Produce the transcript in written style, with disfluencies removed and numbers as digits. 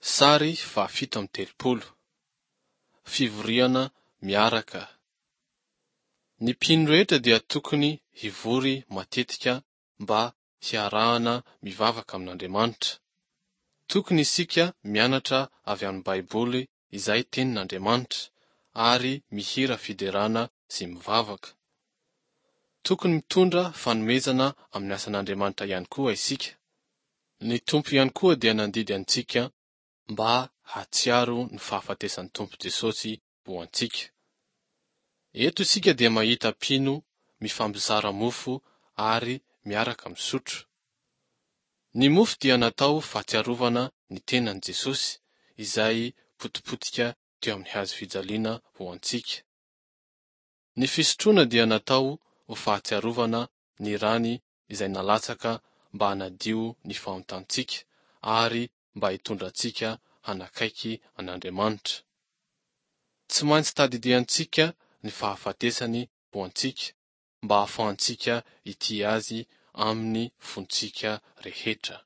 Sary faha 37. Fivoriana miaraka. Ny mpino rehetra dia tokony hivory matetika mba hiarahana mivavaka amin'Andriamanitra. Tokony isika mianatra avy amin'ny Baiboly izay tenin'Andriamanitra, ary mihira fiderana sy mivavaka. Tokony mitondra fanomezana amin'ny asan'Andriamanitra ihany koa isika. Ny Tompo ihany koa dia nandidy antsika mba hahatsiaro ny fahafatesan'ny Tompo Jesosy ho antsika. Eto isika dia mahita mpino mifampizara mofo ary miaraka misotro. Ny mofo dia natao fahatsiarovana ny tenan'i Jesosy izay potipotika teo amin'ny hazo fijaliana ho antsika. Ny fisotroana dia natao ho fahatsiarovana ny rany izay nalatsaka mba hanadio ny fahontantsika ary mba hitondra antsika hanakaiky an'Andriamanitra. Tsy maintsy tadidiantsika ny fahafatesany ho antsika mba hahafahantsika hitia Azy amin'ny fontsika rehetra.